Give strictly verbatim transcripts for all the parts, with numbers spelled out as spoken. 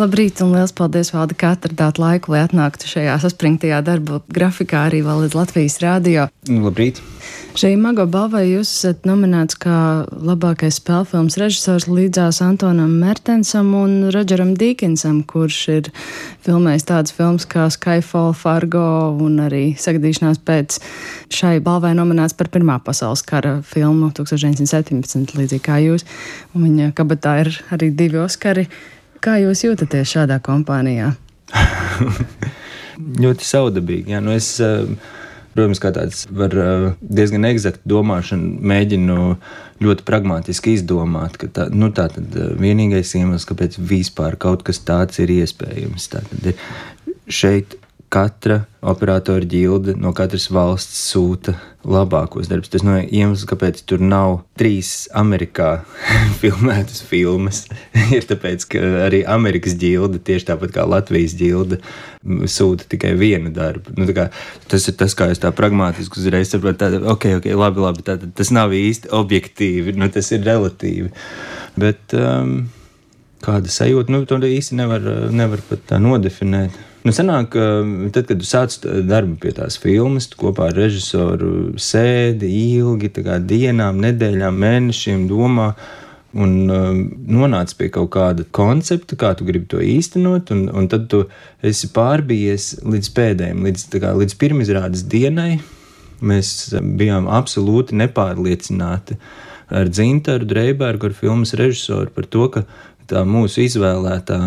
Labrīt un liels paldies, Valdi, ka atradāt laiku, lai atnāktu šajā saspringtajā darba grafikā arī vēl līdz Latvijas rādio. Labrīt! Šī Mago balvai jūs esat nominēts kā labākais spēlfilmas režisors līdzās Antonam Mertensam un Rodžeram Dīkinsam, kurš ir filmējis tādas filmas kā Skyfall, Fargo un arī Sagadīšanās pēc. Šai balvai nominēts par Pirmā pasaules kara filmu tūkstoš deviņsimt septiņpadsmit, līdzīgi kā jūs. Un viņa kabatā ir arī divi Oskari. Kā jūs jūtaties šādā kompānijā? Ļoti saudabīgi. Jā. Nu es, protams, kā tāds var diezgan egzakti domāšanu mēģinu ļoti pragmatiski izdomāt, ka tā, nu tā tad vienīgais iemesls, kāpēc vispār kaut kas tāds ir iespējams. Tā tad ir šeit katra operatora ģilde no katras valsts sūta labākos darbus. Tas no iemesls, kāpēc tur nav trīs Amerikā filmētas filmas, ir tāpēc, ka arī Amerikas ģilde, tieši tāpat kā Latvijas ģilde, sūta tikai vienu darbu. Nu, tā kā, tas ir tas, kā es tā pragmātiski uzreiz saprotu, tā, ok, ok, labi, labi, tā, tas nav īsti objektīvi, nu, tas ir relatīvi. Bet um, kāda sajūta, nu, to īsti nevar, nevar pat tā nodefinēt. Nu, sanāk, tad, kad tu sāc darbu pie tās filmas, tu kopā ar režisoru sēdi ilgi, tā kā dienām, nedēļām, mēnešiem domā un um, nonāc pie kaut kāda koncepta, kā tu gribi to īstenot, un, un tad tu esi pārbijies līdz pēdējiem, līdz, tā kā, līdz pirmizrādes dienai. Mēs bijām absolūti nepārliecināti ar Dzintaru Dreibergu, ar filmas režisoru, par to, ka tā mūsu izvēlētā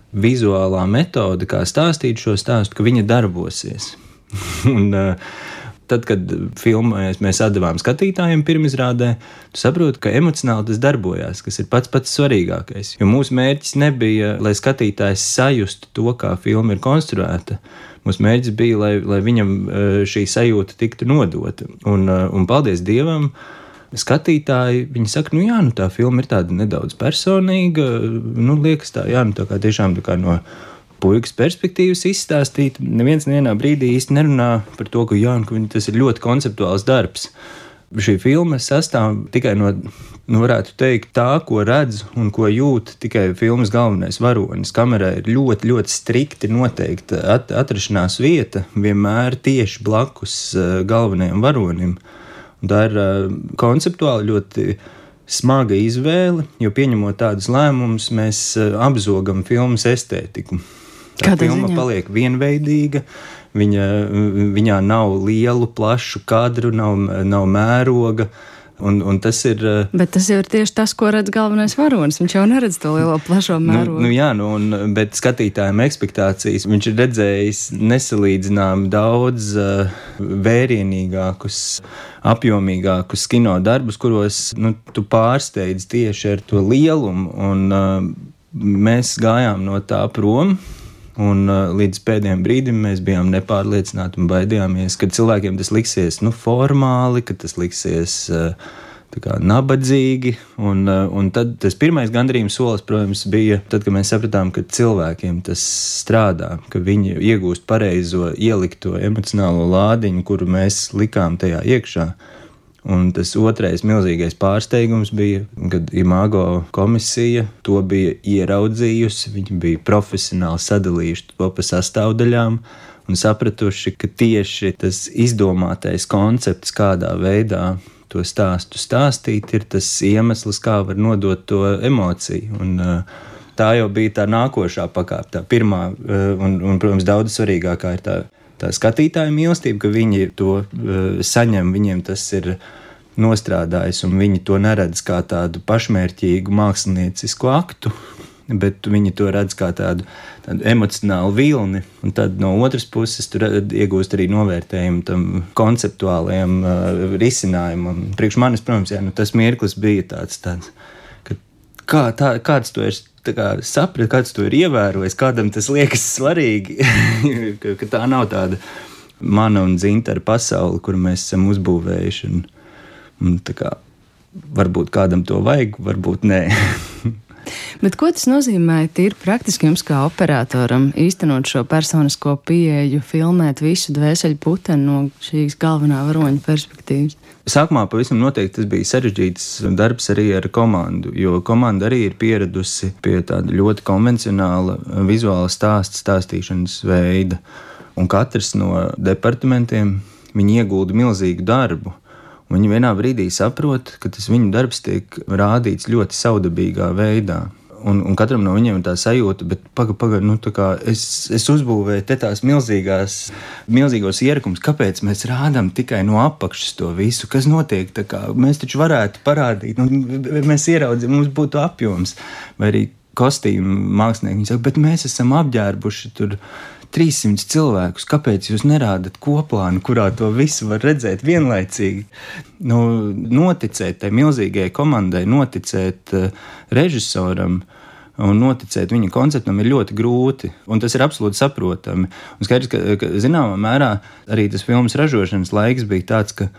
vizuālā metode, kā stāstīt šo stāstu, ka viņa darbosies. un, tad, kad filmēs mēs atdevām skatītājiem pirmizrādē, tu saproti, ka emocionāli tas darbojās, kas ir pats pats svarīgākais. Jo mūsu mērķis nebija, lai skatītājs sajustu to, kā filma ir konstruēta. Mūsu mērķis bija, lai, lai viņam šī sajūta tiktu nodota. Un, un paldies Dievam, skatītāji, viņi saka, nu jā, nu tā filma ir tāda nedaudz personīga, nu liekas tā, jā, nu tā kā tiešām tā kā no puikas perspektīvas izstāstīt. Neviens nevienā brīdī īsti nerunā par to, ka jā, nu, ka tas ir ļoti konceptuāls darbs. Šī filma sastāv tikai no, nu varētu teikt, tā, ko redz un ko jūt tikai filmas galvenais varonis. Kamerā ir ļoti, ļoti strikti noteikta at, atrašanās vieta, vienmēr tieši blakus galvenajam varonim. Un tā ir uh, konceptuāli ļoti smaga izvēle, jo pieņemot tādus lēmumus, mēs uh, apzogam filmas estētiku. Tā Kādā filma ziņā? Paliek vienveidīga, viņa, viņā nav lielu, plašu kadru, nav, nav mēroga. Un, un tas ir, bet tas jau ir tieši tas, ko redz galvenais varonis. Viņš jau neredz to lielo plašo mērogu. Nu, nu jā, nu, un, bet skatītājiem ekspektācijas viņš ir redzējis nesalīdzinām daudz uh, vērienīgākus, apjomīgākus kino darbus, kuros nu, tu pārsteidz tieši ar to lielumu. Un, uh, mēs gājām no tā prom. Un uh, līdz pēdējiem brīdim mēs bijām nepārliecināti un baidījāmies, ka cilvēkiem tas liksies nu, formāli, ka tas liksies uh, tā kā nabadzīgi. Un, uh, un tad tas pirmais gandarījuma solis, protams, bija tad, kad mēs sapratām, ka cilvēkiem tas strādā, ka viņi iegūst pareizo ielikto emocionālo lādiņu, kuru mēs likām tajā iekšā. Un tas otrais milzīgais pārsteigums bija, kad Imago komisija to bija ieraudzījusi, viņi bija profesionāli sadalījuši to pa sastāvdaļām un sapratuši, ka tieši tas izdomātais koncepts, kādā veidā to stāstu stāstīt, ir tas iemesls, kā var nodot to emociju. Un, tā jau bija tā nākošā pakāpe, tā pirmā un, un protams, daudz svarīgākā ir tā Tā skatītāja mīlestība, ka viņi to uh, saņem, viņiem tas ir nostrādājis, un viņi to neredz kā tādu pašmērķīgu māksliniecisku aktu, bet viņi to redz kā tādu, tādu emocionālu vilni. Un tad no otras puses tur iegūst arī novērtējumu tam konceptuālajam uh, risinājumam. Priekš manis, protams, jā, nu, tas mirklis bija tāds, tāds ka kā, tā, kāds to ir kā saprat, kāds to ir ievērojis, kādam tas liekas svarīgi, ka, ka tā nav tāda mana un Dzintara pasaule, kuru mēs esam uzbūvējuši. Un, un tā kā varbūt kādam to vajag, varbūt nē. Bet ko tas nozīmē tīri praktiski jums kā operatoram īstenot šo personisko pieeju, filmēt visu dvēseļu puteni no šīs galvenā varoņa perspektīvas? Sākumā pavisam noteikti tas bija sarežģīts darbs arī ar komandu, jo komanda arī ir pieradusi pie tāda ļoti konvencionāla vizuāla stāsta stāstīšanas veida. Un katrs no departamentiem, viņi iegulda milzīgu darbu. Un viņi vienā brīdī saprot, ka tas viņu darbs tiek rādīts ļoti saudabīgā veidā. Un, un katram no viņiem ir tā sajūta, bet paga, paga, nu tā kā es, es uzbūvēju te tās milzīgās, milzīgos ierakums, kāpēc mēs rādām tikai no apakšas to visu, kas notiek, tā kā mēs taču varētu parādīt, nu, mēs ieraudzījām, mums būtu apjoms, vai arī kostīmu mākslinieki, viņi saka, bet mēs esam apģērbuši tur trīssimt cilvēkus, kāpēc jūs nerādat koplānu, kurā to visu var redzēt vienlaicīgi? Nu, noticēt tai milzīgai komandai, noticēt uh, režisoram un noticēt viņa konceptam ir ļoti grūti, un tas ir absolūti saprotami. Un skaidrs, ka, ka zināmā mērā arī tas filmas ražošanas laiks bija tāds, ka,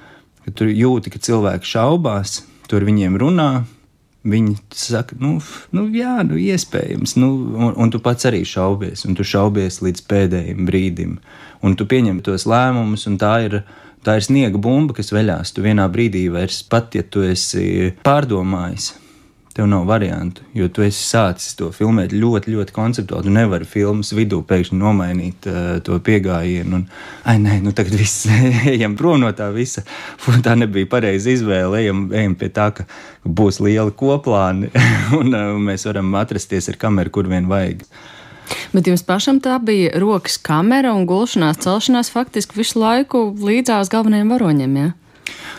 ka tur jūti, ka cilvēki šaubās, tur viņiem runā, viņi saka, nu, nu jā, nu iespējams, nu, un, un tu pats arī šaubies, un tu šaubies līdz pēdējiem brīdim, un tu pieņem tos lēmumus, un tā ir, tā ir sniega bumba, kas veļās, tu vienā brīdī vairs pat, ja tu esi pārdomājis, tev nav variantu, jo tu esi sācis to filmēt ļoti, ļoti konceptuāli, tu nevari filmas vidū pēkšņi nomainīt uh, to piegājienu, un, ai, nē, nu tagad viss, ejam prom no tā visa, tā nebija pareiza izvēle, ejam, ejam pie tā, ka būs liela koplāni, un uh, mēs varam atrasties ar kameru, kur vien vajag. Bet jums pašam tā bija rokas kamera un gulšanās, celšanās faktiski visu laiku līdzās galvenajiem varoņiem, jā?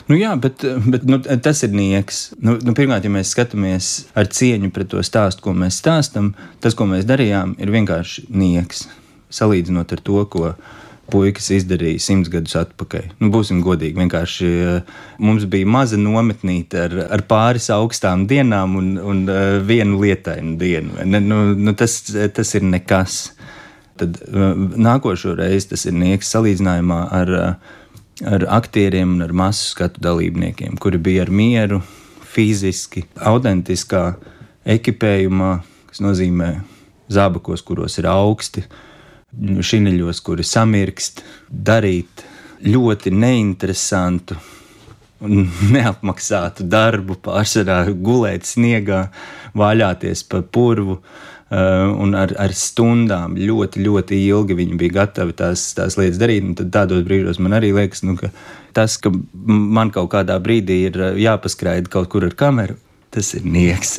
Nu jā, bet, bet nu, tas ir nieks. Nu, nu, pirmkārt, ja mēs skatāmies ar cieņu pret to stāstu, ko mēs stāstam, tas, ko mēs darījām, ir vienkārši nieks. Salīdzinot ar to, ko puikas izdarīja simts gadus atpakaļ. Nu, būsim godīgi, vienkārši mums bija maza nometnīte ar, ar pāris augstām dienām un, un vienu lietainu dienu. Nu, nu, tas, tas ir nekas. Tad nākošo reizi tas ir nieks salīdzinājumā ar ar aktieriem un ar masu skatu dalībniekiem, kuri bija ar mieru, fiziski, autentiskā ekipējumā, kas nozīmē zābakos, kuros ir augsti, šineļos, kuri samirkst, darīt ļoti neinteresantu un neapmaksātu darbu, pārsvarā gulēt sniegā, vaļāties pa purvu, Uh, un ar, ar stundām ļoti, ļoti ilgi viņi bija gatavi tās, tās lietas darīt. Un tad tādos brīžos man arī liekas, nu, ka tas, ka man kaut kādā brīdī ir jāpaskraida kaut kur ar kameru, tas ir nieks,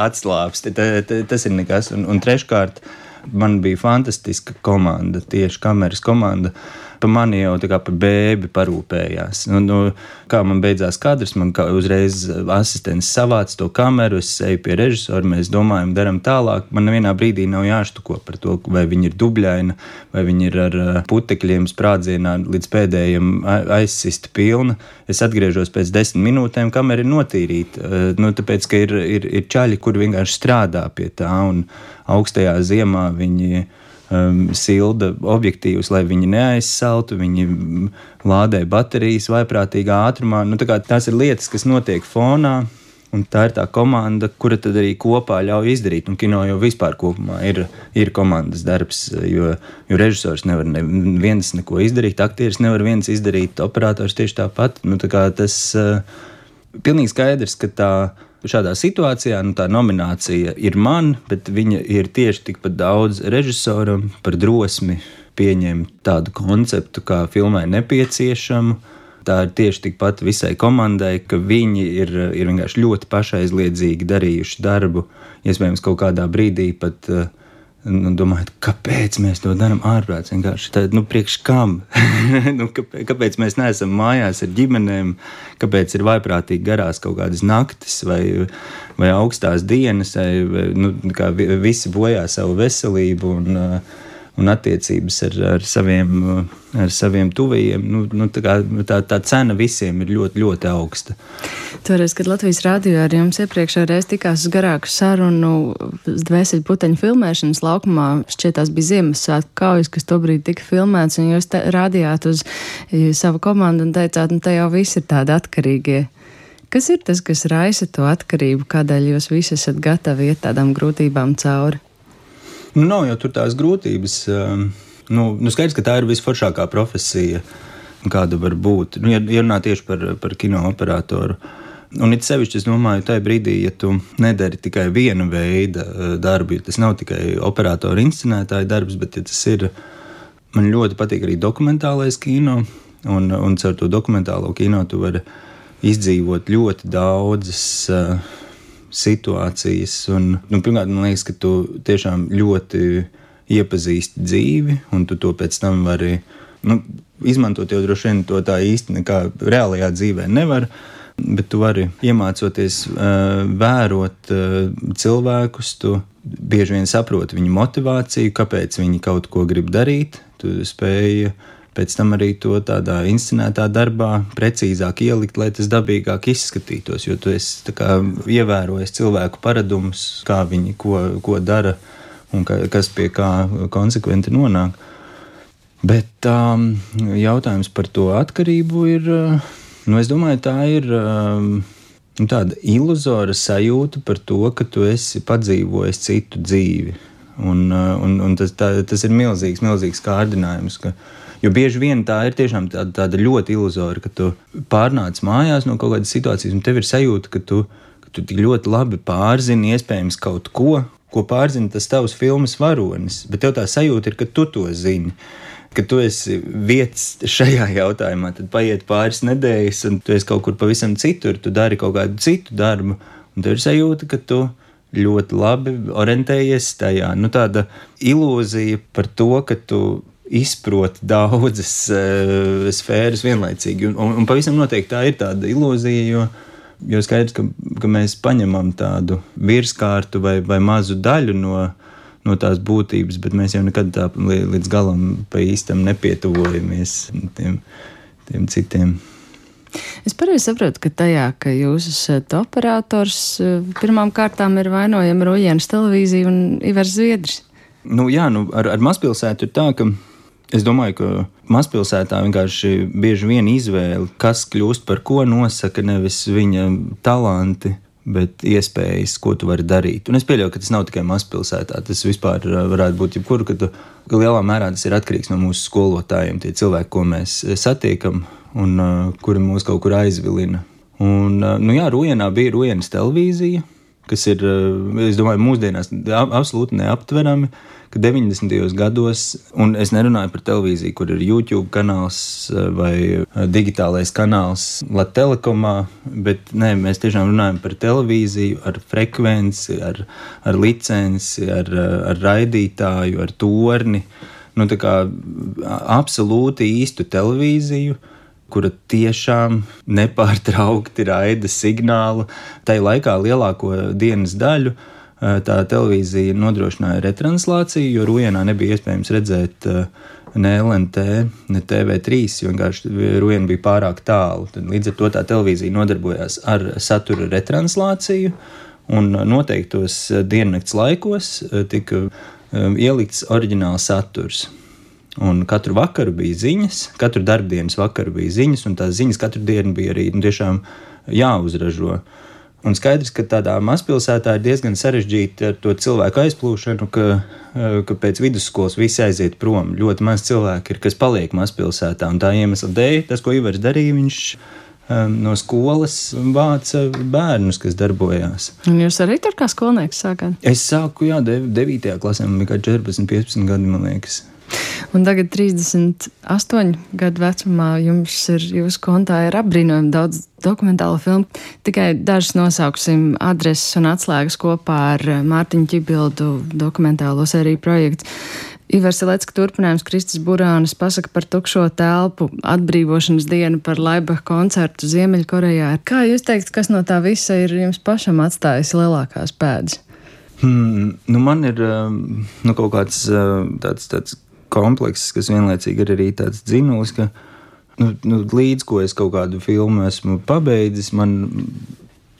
atslābs, tas ir nekas. Un, un treškārt, man bija fantastiska komanda, tieši kameras komanda. Pa mani jau tā kā par bēbi parūpējās. Nu, nu, kā man beidzās kadrs, man kā uzreiz asistents savāca to kameru, es eju pie režisora, mēs domājam, daram tālāk. Man nevienā brīdī nav jāštuko par to, vai viņi ir dubļaina, vai viņi ir ar putekļiem sprādzienā līdz pēdējiem aizsista pilna. Es atgriežos pēc desmit minūtēm, kamera ir notīrīta. Nu, tāpēc, ka ir, ir, ir čaļi, kur vienkārši strādā pie tā, un augstajā ziemā viņi Um, silda objektīvus, lai viņi neaizsaltu, viņi lādē baterijas vaiprātīgā ātrumā. Nu, tā kā tās ir lietas, kas notiek fonā, un tā ir tā komanda, kura tad arī kopā ļauj izdarīt. Un kino jau vispār kopumā ir, ir komandas darbs, jo, jo režisors nevar ne, viens neko izdarīt, aktieris nevar viens izdarīt, operators tieši tāpat. Nu, tā kā tas uh, pilnīgi skaidrs, ka tā šādā situācijā nu, tā nominācija ir man, bet viņa ir tieši tikpat daudz režisoram par drosmi pieņemt tādu konceptu, kā filmai nepieciešamu. Tā ir tieši tikpat visai komandai, ka viņi ir, ir vienkārši ļoti pašaizliedzīgi darījuši darbu. Iespējams, kaut kādā brīdī pat nu, domājot, kāpēc mēs to darām ārprāts, vienkārši tā, nu, priekš kam? nu, kāpēc, kāpēc mēs neesam mājās ar ģimenēm, kāpēc ir vaiprātīgi garās kaut kādas naktis vai, vai augstās dienas, vai, nu, kā visi bojā savu veselību un, un attiecības ar, ar, saviem, ar saviem tuvajiem. Nu, nu, tā, kā, tā, tā cena visiem ir ļoti, ļoti augsta. Toreiz, kad Latvijas rādio ar jums iepriekšējā reiz tikās uz garāku sarunu dvēseļu puteņu filmēšanas laukumā, šķiet tās bija Ziemassvētku kaujas, kas tobrīd tika filmēts, un jūs te, rādījāt uz savu komandu un teicāt, nu te jau visi ir tādi atkarīgie. Kas ir tas, kas raisa to atkarību, kādēļ jūs visi esat gatavi iet tādām grūtībām cauri? Nu, nav jau tur tās grūtības. Nu, nu skaidrs, ka tā ir visforšākā profesija, kāda var būt. Nu, ja runā tieši par, par kino operatoru. Un it sevišķi, es domāju, tajā brīdī, ja tu nedari tikai viena veida darbu, ja tas nav tikai operatoru inscenētāja darbs, bet ja tas ir, man ļoti patīk arī dokumentālais kino, un, un caur to dokumentālo kino tu vari izdzīvot ļoti daudzas uh, situācijas. Un, nu, pirmkārt, man liekas, ka tu tiešām ļoti iepazīsti dzīvi, un tu to pēc tam vari nu, izmantot, jo droši vien to tā īsti nekā reālajā dzīvē nevar, bet tu vari iemācoties uh, vērot uh, cilvēkus, tu bieži vien saproti viņu motivāciju, kāpēc viņi kaut ko grib darīt, tu spēji pēc tam arī to tādā inscenētā darbā precīzāk ielikt, lai tas dabīgāk izskatītos, jo tu esi tā kā ievērojis cilvēku paradumus, kā viņi ko, ko dara un ka, kas pie kā konsekventi nonāk. Bet um, jautājums par to atkarību ir, nu es domāju, tā ir um, tāda iluzora sajūta par to, ka tu esi padzīvojis citu dzīvi. Un, un, un tas, tā, tas ir milzīgs, milzīgs kārdinājums, ka jo bieži vien tā ir tiešām tāda, tāda ļoti iluzora, ka tu pārnāc mājās no kaut kādas situācijas, un tev ir sajūta, ka tu, ka tu tik ļoti labi pārzini iespējams kaut ko, ko pārzina tas tavs filmas varonis, bet tev tā sajūta ir, ka tu to zini, ka tu esi vietas šajā jautājumā, tad paiet pāris nedēļas, un tu esi kaut kur pavisam citur, tu dari kaut kādu citu darbu, un tev ir sajūta, ka tu ļoti labi orientējies tajā. Nu, tāda ilūzija par to, ka tu izproti daudzas uh, sfēras vienlaicīgi. Un, un, un pavisam noteikti tā ir tāda ilūzija, jo, jo skaidrs, ka, ka mēs paņemam tādu virskārtu vai, vai mazu daļu no, no tās būtības, bet mēs jau nekad tā līdz galam pa īstam nepietuvojamies tiem, tiem citiem. Es pareizi saprotu, ka tajā, ka jūs esat operators, pirmām kārtām ir vainojama Rujienas televīzija un Ivars Zviedris. Nu jā, nu ar, ar mazpilsētu ir tā, ka es domāju, ka mazpilsētā vienkārši bieži vien izvēle, kas kļūst par ko, nosaka nevis viņa talanti, bet iespējas, ko tu vari darīt. Un es pieļauju, ka tas nav tikai mazpilsētā, tas vispār varētu būt jebkur, ka tu, ka lielā mērā tas ir atkarīgs no mūsu skolotājiem, tie cilvēki, ko mēs satiekam un uh, kuri mūs kaut kur aizvilina. Un, uh, nu jā, Rujienā bija Rujienas televīzija, kas ir, uh, es domāju, mūsdienās absolūti neaptverami, ka deviņdesmitajos gados, un es nerunāju par televīziju, kur ir YouTube kanāls uh, vai uh, digitālais kanāls Latelekomā, bet nē, mēs tiešām runājam par televīziju ar frekvenci, ar, ar licenci, ar, ar raidītāju, ar torni, nu tā kā absolūti īstu televīziju, kura tiešām nepārtraukti raida signālu. Tai laikā lielāko dienas daļu tā televīzija nodrošināja retranslāciju, jo Rujienā nebija iespējams redzēt ne L N T, ne T V trīs, jo vienkārši Rujiena bija pārāk tālu. Tad līdz ar to tā televīzija nodarbojās ar satura retranslāciju, un noteiktos diennakts laikos tika ielikts oriģināls saturs. Un katru vakaru bija ziņas, katru darbdienas vakaru bija ziņas, un tās ziņas katru dienu bija arī nu, tiešām jāuzražo. Un skaidrs, ka tādā mazpilsētā ir diezgan sarežģīti ar to cilvēku aizplūšanu, ka, ka pēc vidusskolas visi aiziet prom. Ļoti maz cilvēki ir, kas paliek mazpilsētā, un tā iemesla dēļ, tas, ko Ivars darīja, viņš um, no skolas vāca bērnus, kas darbojās. Un jūs arī tur kā skolnieks sākāt? Es sāku, jā, devītajā klasē, man bija kā četrpadsmit, piecpadsmit gadi, man liekas. Un tagad trīsdesmit astoņu gadu vecumā jums ir, jūsu kontā ir apbrīnojami daudz dokumentālo filmu. Tikai dažas nosauksim adreses un atslēgas kopā ar Mārtiņu Ķibildu dokumentālo sēriju projektu. Ivars Ilecka turpinājums, Kristis Burānis pasaka par tukšo telpu, atbrīvošanas dienu, par Laibach koncertu Ziemeļkorejā. Kā jūs teikt, kas no tā visa ir jums pašam atstājis lielākās pēdas? Hmm, nu man ir nu, kaut kāds tāds, tāds komplekss, kas vienlaicīgi ir arī tāds dzinulis, ka nu, nu, līdz ko es kaut kādu filmu esmu pabeidzis, man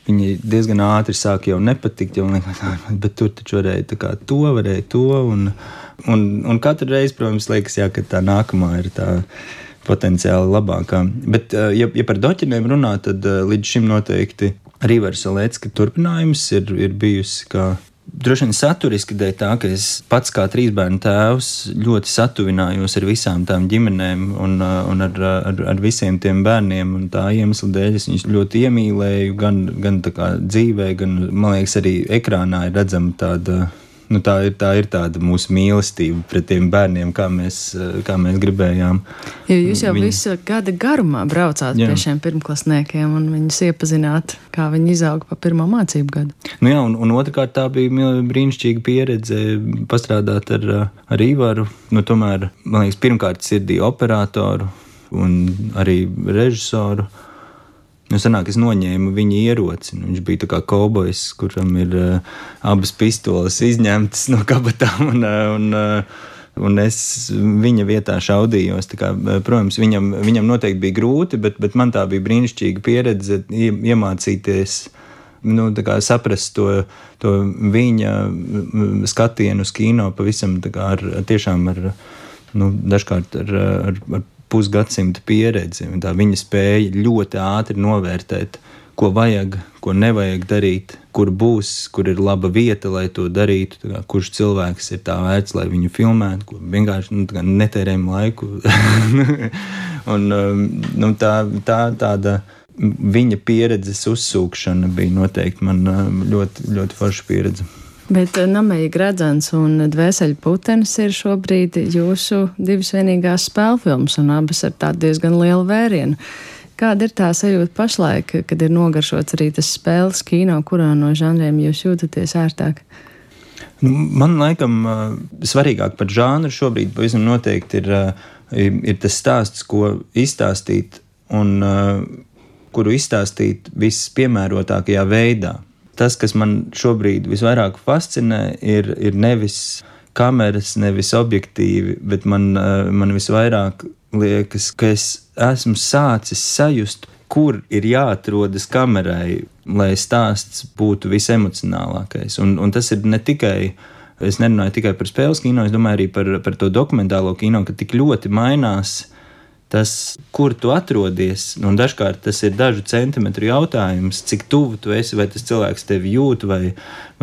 viņi diezgan ātri sāk jau nepatikt, jau liekas, bet tur taču varēja tā kā to, varēja to, un, un, un katru reizi, protams, liekas, jā, ka tā nākamā ir tā potenciāli labākā. Bet, ja, ja par doķiniem runā, tad līdz šim noteikti Rivera Salecka turpinājums ir, ir bijusi kā droši vien saturiski dēļ tā, ka es pats kā trīsbērnu tēvs ļoti satuvinājos ar visām tām ģimenēm un, un ar, ar, ar visiem tiem bērniem, un tā iemesla dēļ es viņus ļoti iemīlēju, gan, gan tā kā dzīvē, gan, man liekas, arī ekrānā ir redzama tāda, nu tā ir, tā ir tāda mūsu mīlestība pret tiem bērniem, kā mēs, kā mēs gribējām. Jo jūs jau Viņi... visu gada garumā braucāt Jā. Pie šiem pirmklasniekiem un viņus iepazināt, kā viņi izauga pa pirmo mācību gadu. Nu jā, un, un otrkārt tā bija brīnišķīga pieredze pastrādāt ar, ar Ivaru. Nu tomēr, man liekas, pirmkārt sirdī operatoru un arī režisoru. Nu, sanāk, es noņēmu viņa ieroci. Viņš bija tā kā kaubojs, kuram ir uh, abas pistoles izņemtas no kabatām, un, uh, un, uh, un es viņa vietā šaudījos. Tā kā, uh, protams, viņam, viņam noteikti bija grūti, bet, bet man tā bija brīnišķīga pieredze ie, iemācīties, nu, tā kā saprast to, to viņa skatienu uz kino pavisam tā kā ar, tiešām ar, nu, dažkārt ar, ar, ar pusgadsimta pieredzi, un tā viņa spēja ļoti ātri novērtēt, ko vajag, ko nevajag darīt, kur būs, kur ir laba vieta, lai to darītu, tā kā, kurš cilvēks ir tā vērts, lai viņu filmētu, ko vienkārši nu, tā kā netērējam laiku. un, nu, tā, tā tāda viņa pieredzes uzsūkšana bija noteikti man ļoti, ļoti forša pieredze. Bet Nameja Gradzens un Dvēseļu putenis ir šobrīd jūsu divas vienīgās spēlfilmas, un abas ar tādu diezgan lielu vērienu. Kāda ir tā sajūta pašlaik, kad ir nogaršots arī tas spēles kino, kurā no žanriem jūs jūtaties ērtāk? Nu, man laikam svarīgāk par žānru šobrīd pavisam noteikti ir, ir tas stāsts, ko izstāstīt un kuru izstāstīt vispiemērotākajā veidā. Tas, kas man šobrīd visvairāk fascinē, ir, ir nevis kameras, nevis objektīvi, bet man, man visvairāk liekas, ka es esmu sācis sajust, kur ir jāatrodas kamerai, lai stāsts būtu visemocionālākais. Un, un tas ir ne tikai, es nerunāju tikai par spēles kino, es domāju arī par, par to dokumentālo kino, ka tik ļoti mainās tas, kur tu atrodies, un dažkārt tas ir dažu centimetru jautājums, cik tuvu tu esi, vai tas cilvēks tevi jūt, vai,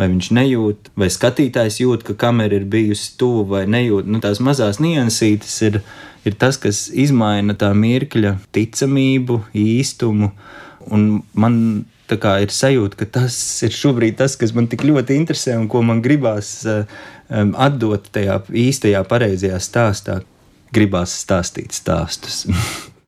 vai viņš nejūt, vai skatītājs jūt, ka kamera ir bijusi tuvu vai nejūt. Nu, tās mazās niansītes ir, ir tas, kas izmaina tā mirkļa ticamību, īstumu, un man tā kā ir sajūta, ka tas ir šobrīd tas, kas man tik ļoti interesē un ko man gribās um, atdot tajā īstajā, pareizajā stāstā. Gribās stāstīt stāstus.